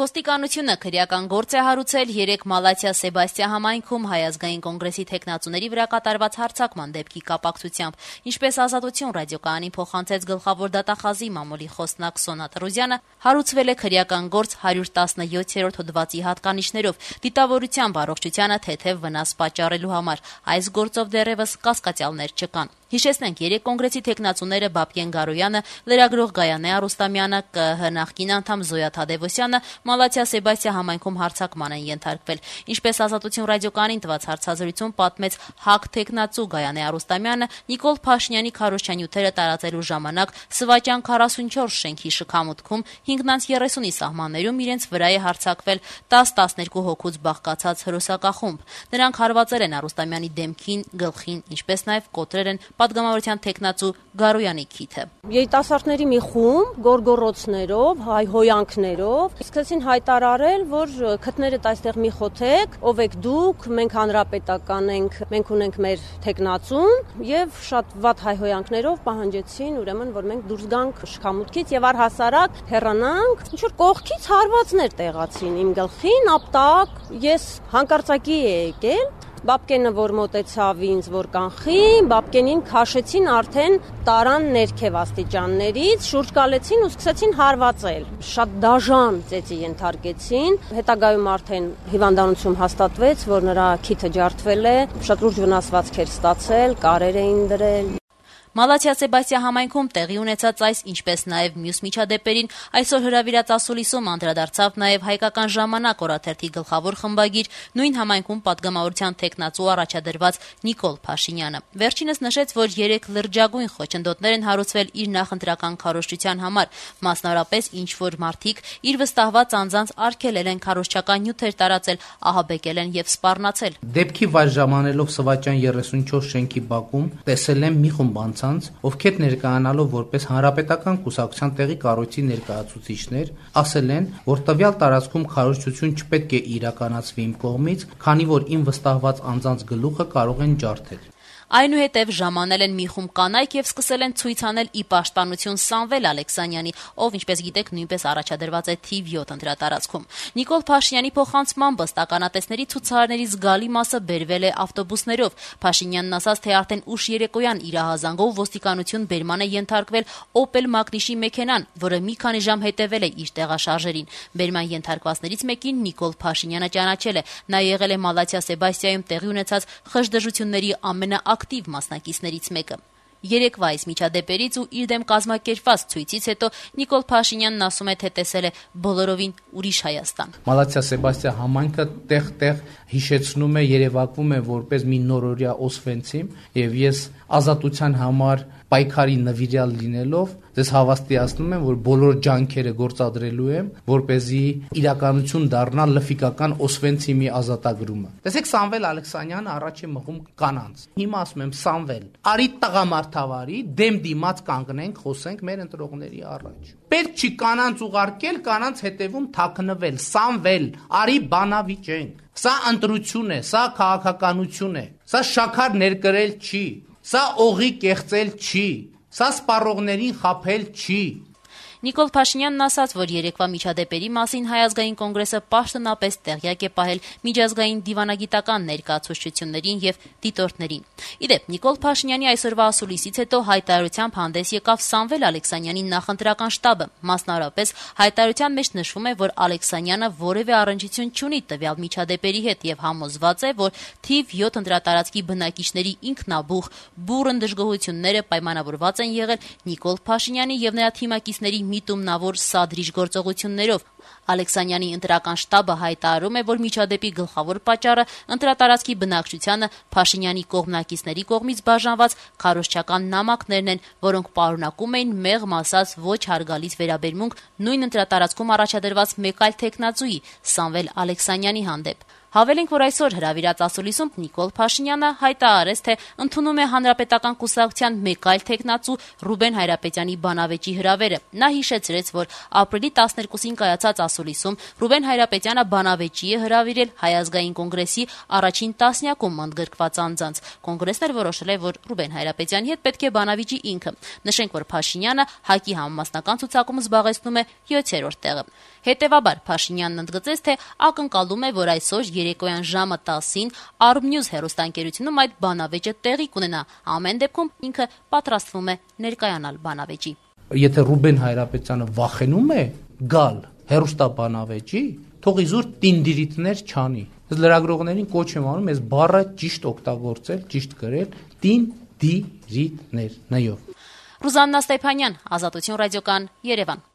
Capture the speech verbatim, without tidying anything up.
Ոստիկանությունը քրեական գործ է հարուցել երեք Մալաթիա Սեբաստիա համայնքում Հայ ազգային կոնգրեսի թեկնածուների վրա կատարված հարձակման դեպքի կապակցությամբ։ Ինչպես Ազատություն ռադիոկայանին փոխանցեց գլխավոր դատախազի մամուլի խոսնակ Սոնա Տրուզյանը, հարուցվել է քրեական գործ հարյուր տասնյոթ հոդվածի հատկանիշներով դիտավորությամբ առողջությանը թեթև վնաս պատճառելու համար։ Այս գործով դեռևս կասկածյալներ չկան։ Հիշեցնենք, երեք կոնգրեսի թեկնածուները Բաբկեն Գարոյանը, լրագրող Գայանե Արուստամյանը, ԿԸՀ նախկին անդամ Զոյա Թադևոսյանը Մալաթիա Սեբաստիա համայնքում հարձակման են ենթարկվել։ Ինչպես Ազատություն ռադիոկայանին տված հարցազրույցում պատմեց ՀԱԿ թեկնածու Գայանե Արուստամյանը, Նիկոլ Փաշինյանի քարոզչանյութերը տարածելու ժամանակ Սվաճան քառասունչորս շենքի շքամուտքում հինգ երեսունի սահմաններում իրենց վրա է հարձակվել տասը տասներկու հոգուց բաղկացած հրոսակախումբ։ Նրանք հարվածել են Արուստամյանի դեմքին, գլխին, ինչպես նաև կոտրել են պատգամավորության թեկնածու Գարոյանի քիթը։ Երիտասարդների մի խումբ գորգորոցներով, հայհոյանքներով սկսեցին հայտարարել, որ քթներդ այստեղ մի խոթեք, ով եք դուք, մենք հանրապետական ենք, մենք ունենք մեր թեկնածուն, եւ շատ վատ հայհոյանքներով պահանջեցին, ուրեմն, որ մենք դուրս գանք շքամուտքից եւ առհասարակ հեռանանք։ Ինչ որ կողքից հարվածներ տեղացին իմ գլխին, ապտակ, ես հանկարծակի եկել Բաբկենը, որ մոտեցավ ինձ, որ կանխի, Բաբկենին քաշեցին արդեն տարան ներքև աստիճաններից, շուրջ գալեցին ու սկսեցին հարվածել։ Շատ դաժան ծեծի ենթարկեցին, հետագայում արդեն հիվանդանություն հաստատվեց, որ նրա քիթը ջարդվել է, շատ լուրջ վնասվածքեր ստացել, կարեր էին դրել։ Մալաթիա Սեբաստիա համայնքում տեղի ունեցած այս, ինչպես նաև մյուս միջադեպերին այսօր հրավիրած ասուլիսում անդրադարձավ նաև Հայկական ժամանակ օրաթերթի գլխավոր խմբագիր, նույն համայնքում պատգամավորության թեկնածու առաջադրված Նիկոլ Փաշինյանը։ Վերջինս նշեց, որ երեք լրջագույն խոչընդոտներ են հարուցվել իր նախընտրական քարոզչության համար, մասնավորապես ինչ որ մարդիկ իր վստահված անձանց արգելել են քարոզչական նյութեր տարածել, ահաբեկել են եւ սպառնացել։ Դեպքի վայր ժամանելով Սվաճան երեսունչորս շենքի բակում տեսել եմ մի խումբ անձանց, ովքեր ներկայանալով որպես հանրապետական կուսակցության տեղի կառույցի ներկայացուցիչներ, ասել են, որ տվյալ տարածքում քարոզչություն չպետք է իրականացվի իմ կողմից, քանի որ իմ վստահված անձանց գլուխը կարող են ջարդել։ Այնուհետև ժամանել են մի խումբ կանայք եւ սկսել են ցույց անել ի պաշտպանություն Սամվել Ալեքսանյանի, ով, ինչպես գիտեք, նույնպես առաջադրված է թիվ յոթ ընտրատարածքում։ Նիկոլ Փաշինյանի փոխանցմամբ ըստ ականատեսների ցուցարարների զգալի մասը բերվել է ավտոբուսներով։ Փաշինյանն ասաց, թե արդեն ուշ երեկոյան իր ահազանգով ոստիկանություն բերման է ենթարկվել Opel Magnish-ի մեքենան, որը մի քանի ժամ հետևել է իր տեղաշարժերին։ Բերման ենթարկվածներից մեկին Նիկոլ Փաշինյանը ճանաչել է։ Նա եղել է Մալաթիա Սեբաստիայում տեղի ունեցած խժդժությունների ամենա ակտիվ մասնակիցներից մեկը։ Երեկվա այս միջադեպերից ու իր դեմ կազմակերպված ցույցից հետո Նիկոլ Փաշինյանն ասում է, թե տեսել է բոլորովին ուրիշ Հայաստան։ Մալաթիա Սեբաստիա համայնքը տեղ-տեղ հիշեցնում է, երևակվում է որպես մի նորօրյա Օսվենցիմ, եւ ես ազատության համար պայքարի նվիրյալ լինելով ձեզ հավաստիացնում եմ, որ բոլոր ջանքերը գործադրելու եմ, որպեսզի իրականություն դառնա լֆիկական Օսվենցիմի ազատագրումը։ Տեսեք, Սամվել Ալեքսանյանը առաջ է մղում կանանց։ Հիմա ասում եմ, Սամվել, արի տղամարդավարի, դեմ դիմաց կանգնենք, խոսենք մեր ընտրողների առաջ։ Պետք չի կանանց ուղարկել, կանանց հետևում թաքնվել։ Սամվել, արի բանավիճենք։ Սա ընտրություն է, սա քաղաքականություն է։ Սա շաքար ներկրել չի։ Սա օղի կեղծել չի, սա սպառողներին խաբել չի։ Նիկոլ Փաշինյանն ասաց, որ երեկվա միջադեպերի մասին Հայ ազգային կոնգրեսը պաշտոնապես տեղյակ է պահել միջազգային դիվանագիտական ներկայացուցչություններին եւ դիտորդներին։ Իդեպ, Նիկոլ Փաշինյանի այսօրվա ասուլիսից հետո հայտարարությամբ հանդես եկավ Սամվել Ալեքսանյանի նախընտրական շտաբը։ Մասնավորապես հայտարարության մեջ նշվում է, որ Ալեքսանյանը որևէ առնչություն չունի տվյալ միջադեպերի հետ եւ համոզված է, որ թիվ յոթ ընտրատարածքի բնակիչների ինքնաբուխ բուռն դժգոհությունները պայմանավորված են եղել Նիկոլ Փաշինյանի եւ նրա թիմակիցների միտումնավոր սադրիչ գործողություններով։ Ալեքսանյանի ընտրական շտաբը հայտարարում է, որ միջադեպի գլխավոր պատճառը ընտրատարածքի բնակչությանը Փաշինյանի կողմնակիցների կողմից բաժանված քարոզչական նամակներն են, որոնք պարունակում էին մեղմ ասած ոչ հարգալից վերաբերմունք նույն ընտրատարածքում առաջադրված մեկ այլ թեկնածուի Սամվել Ալեքսանյանի հանդեպ։ Հավելենք, որ այսօր հրավիրած ասուլիսում Նիկոլ Փաշինյանը հայտարարեց, թե ընդունում է հանրապետական կուսակցության մեկ այլ թեկնածու Ռուբեն Հայրապետյանի բանավեճի հրավերը։ Նա հիշեցրեց, որ ապրիլի տասներկուսին կայացած կայացած ասուլիսում Ռուբեն Հայրապետյանը բանավեճի է հրավիրել Հայ ազգային կոնգրեսի առաջին տասնյակում ընդգրկված անձանց։ Կոնգրեսն էլ որոշել է, որ Ռուբեն Հայրապետյանի հետ պետք է բանավիճի ինքը։ Նշենք, որ Փաշինյանը ՀԱԿ-ի համամասնական ցուցակում զբաղեցնում է յոթերորդ տեղը։ Հետևաբար Փաշինյանն ընդգծեց, թե ակնկալում է, որ այսօր երեկոյան ժամը տասին Արմնյուզ հեռուստաընկերությունում այդ բանավեճը տեղի կունենա։ Ամեն դեպքում ինքը պատրաստվում է ներկայանալ բանավեճի։ Եթե Ռուբեն Հայրապետյանը վախենում է գալ հեռուստաբանավեճի, թող իզուր տինդիրիտներ չանի։ Ես լրագրողներին կոչ եմ անում այս բառը ճիշտ օգտագործել, ճիշտ գրել՝ տինդիրիտներ նյով։ Ռուզաննա Ստեփանյան, Ազատություն ռադիոկան, Երևան։